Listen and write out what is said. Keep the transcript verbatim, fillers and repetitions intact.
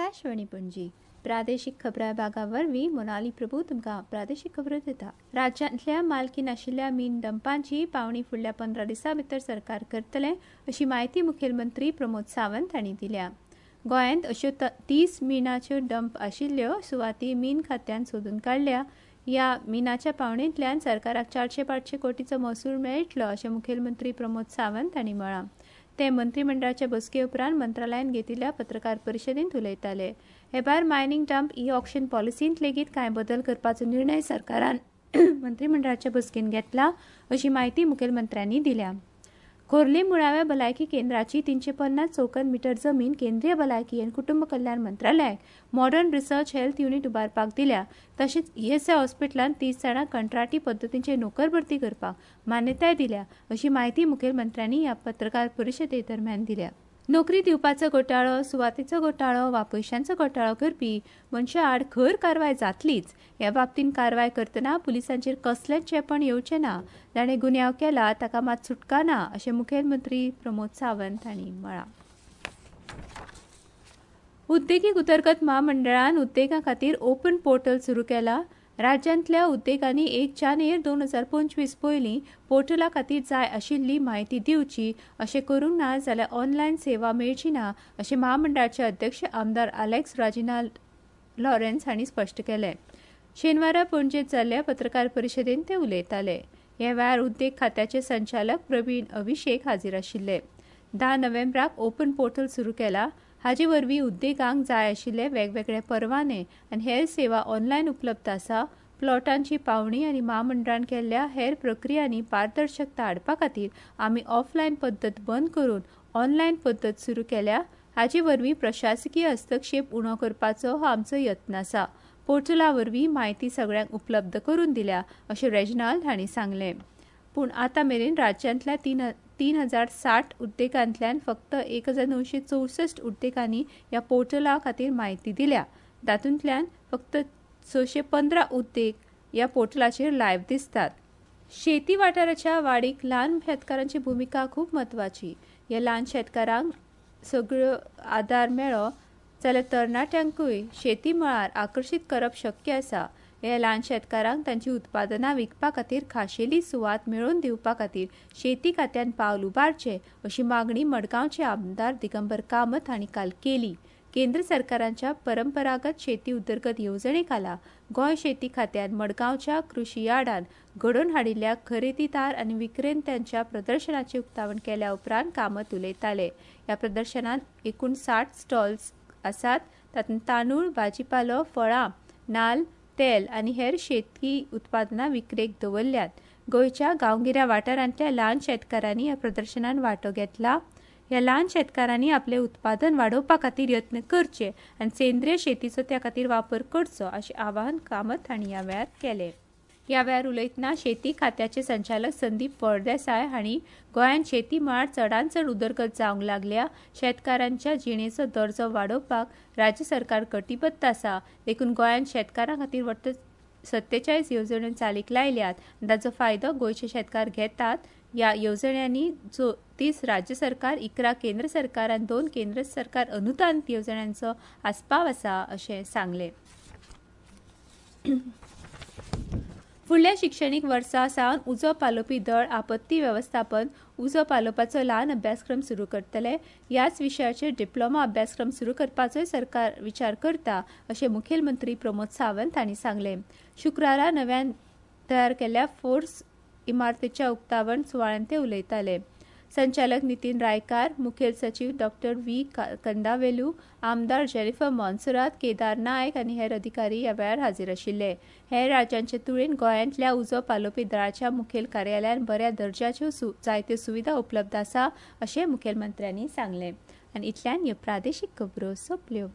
आकाशवाणी पणजी प्रादेशीक खबरां विभागा वरवीं मोनाली प्रभू तुमकां प्रादेशीक खबरो दिता. राज्यांतल्या मालकी नाशिल्ल्या मीन डंपांची पावणी फुडल्या पंदरा दिसां भितर सरकार करतले अशी म्हायती मुखेलमंत्री प्रमोद सावंत हांणी दिल्या. गोंयांत अश्यो तीस मिनाच्यो डंप आशिल्ल्यो सुवाती मीन खात्यान सोदून काडल्या. ह्या मिनाच्या पावणेंतल्यान सरकाराक चारशे पांचशे कोटीचो महसूल मेळटलो अशें मुखेलमंत्री प्रमोद सावंत हांणी म्हळां. ते मंत्रीमंडळाच्या बसके उपरांत मंत्रालयान घेतिल्ल्या पत्रकार परिशदेंत उलयताले. हे भायर मायनिंग डंप ई ऑक्शन पॉलिसींत लेगीत कांय बदल करपाचो निर्णय सरकारान मंत्रीमंडळाच्या बसकेंत घेतला अशी म्हायती मुखेलमंत्र्यांनी दिल्या. खोर्ली मुळाव्या भलायकी केंद्राची तीनशे पन्नास चौखण मिटर जमीन केंद्रीय भलायकी आनी कुटुंब कल्याण मंत्रालयाक मॉडर्न रिसर्च हेल्थ युनिट उबारपाक दिल्या. तशेंच ईएसआय हॉस्पिटलांत तीस जाणांक कंत्राटी पद्दतीचेर नोकर भरती करपाक मान्यताय दिल्या अशी म्हायती मुखेलमंत्र्यांनी ह्या पत्रकार परिशदे दरम्यान दिल्या. नोकरी दिवपाचो घोटाळो, सुवातेचो घोटाळो वा पयशांचो घोटाळो करपी मनशां आड खर कारवाय जातलीच. ह्या बाबतींत कारवाय करतना पुलिसांचेर कसलेंच चेपण येवचें ना. जाणें गुन्यांव केला ताका मात सुटका ना अशें मुखेलमंत्री प्रमोद सावंत हांणी म्हळां. उद्देगीक उदरगत म्हामंडळान उद्देगां खातीर ओपन पोर्टल सुरू केला. राज्यांतल्या उद्देगांनी एक जानेर दोन हजार पंचवीस पयलीं पोर्टला खातीर जाय आशिल्ली म्हायती दिवची. अशें करूंक ना जाल्यार ऑनलायन सेवा मेळची ना अशें म्हामंडळाचे अध्यक्ष आमदार आलेक्स राजिनाल्ड लॉरेन्स हांणी स्पश्ट केलें. शेनवारा पणजेंत जाल्ल्या पत्रकार परिशदेंत ते उलयताले. ह्या वेळार उद्देग खात्याचे संचालक प्रवीण अभिषेक हाजीर आशिल्ले. धा नोव्हेंबराक ओपन पोर्टल सुरू केला. हाजे वरवीं उद्देगांक जाय आशिल्ले वेगवेगळे परवाने आनी हेर सेवा ऑनलायन उपलब्ध आसा. प्लॉटांची पावणी आनी म्हामंडळान केल्ल्या हेर प्रक्रियांनी पारदर्शकता हाडपा खातीर आमी ऑफलायन पद्दत बंद करून ऑनलायन पद्दत सुरू केल्या. हाजे वरवीं प्रशासकीय हस्तक्षेप उणो करपाचो हो आमचो यत्न आसा. पोर्टला वरवीं म्हायती सगळ्यांक उपलब्ध करून दिल्या अशें रेजिनाल्ड हांणी सांगलें. पूण आतां मेरेन राज्यांतल्या तीन तीन हजार साठ उद्देगांतल्यान फक्त एक हजार णवशे चौसश्ट उद्देगांनी ह्या पोर्टला खातीर म्हायती दिल्या. तातूंतल्यान फक्त सशे पंदरा उद्देग ह्या पोर्टलाचेर लायव्ह दिसतात. शेती वाठाराच्या वाडीक ल्हान शेतकारांची भुमिका खूब म्हत्वाची. ह्या ल्हान शेतकारांक सगळ्यो आदार मेळ्ळो जाल्यार तरणाट्यांकूय शेती मळार आकर्शीत करप शक्य आसा. ह्या ल्हान शेतकारांक तांची उत्पादनां विकपा खातीर खाशेली सुवात मेळोवन दिवपा खातीर शेती खात्यान पावल उबारचें अशी मागणी मडगांवचे आमदार दिगंबर कामत हांणी काल केली. केंद्र सरकाराच्या परंपरागत शेती उदरगत येवजणे खाला गोंय शेती खात्यान मडगांवच्या कृशी यार्डान घडोवन हाडिल्ल्या खरेदीदार आनी विक्रेत्यांच्या प्रदर्शनाचें उक्तावण केल्या उपरांत कामत उलयताले. ह्या प्रदर्शनांत एकूण साठ स्टॉल्स आसात. तातूंत तांदूळ, भाजीपालो, फळां, नाल्ल, तेल आनी हेर शेतकी उत्पादनां विक्रेक दवरल्यात. गोंयच्या गांवगिऱ्या वाठारांतल्या ल्हान शेतकारांनी ह्या प्रदर्शनांत वांटो घेतला. ह्या ल्हान शेतकारांनी आपलें उत्पादन वाडोवपा खातीर यत्न करचे आनी सेंद्रीय शेतीचो त्या खातीर वापर करचो अशें आवाहन कामत हांणी ह्या वेळार केलें. ह्या वेळार उलयतना शेती खात्याचे संचालक संदीप फळदेसाय हांणी गोंयांत शेती मळार चडांत चड उदरगत जावंक लागल्या. शेतकारांच्या जिणेचो दर्जो वाडोवपाक राज्य सरकार कटिबद्ध आसा. देखून गोंयांत शेतकारां खातीर वट्ट सत्तेचाळीस येवजण्यो चालीक लायल्यात आनी ताचो फायदो गोंयचे शेतकार घेतात. ह्या येवजण्यांनी जो तीस राज्य सरकार, इकरा केंद्र सरकार आनी दोन केंद्र सरकार अनुदान येवजण्यांचो आस्पाव आसा अशें सांगलें. फुडल्या शिक्षणीक वर्सा सावन उजो पालोवपी दळ आपत्ती वेवस्थापन उजो पालोवपाचो ल्हान अभ्यासक्रम सुरू करतले. ह्याच विशयाचेर डिप्लोमा अभ्यासक्रम सुरू करपाचोय सरकार विचार करता अशें मुखेलमंत्री प्रमोद सावंत हांणी सांगलें. शुक्रारा नव्यान तयार केल्ल्या फोर्स इमारतीच्या उक्तावण सुवाळ्यांत ते उलयताले. संचालक नितीन रायकार, मुखेल सचीव डॉक्टर व्ही कंदावेलू, आमदार जेनिफर मोन्सेरात, केदार नायक आनी हेर अधिकारी ह्या वेळार हाजीर आशिल्ले. हेर राज्यांचे तुळेन गोंयांतल्या उजो पालोवपी दळाच्या मुखेल कार्यालयान बऱ्या दर्जाच्यो जायत्यो सुविधा उपलब्ध आसा अशें मुखेलमंत्र्यांनी सांगलें. आनी इतल्यान ह्यो प्रादेशीक खबरो सोंपल्यो.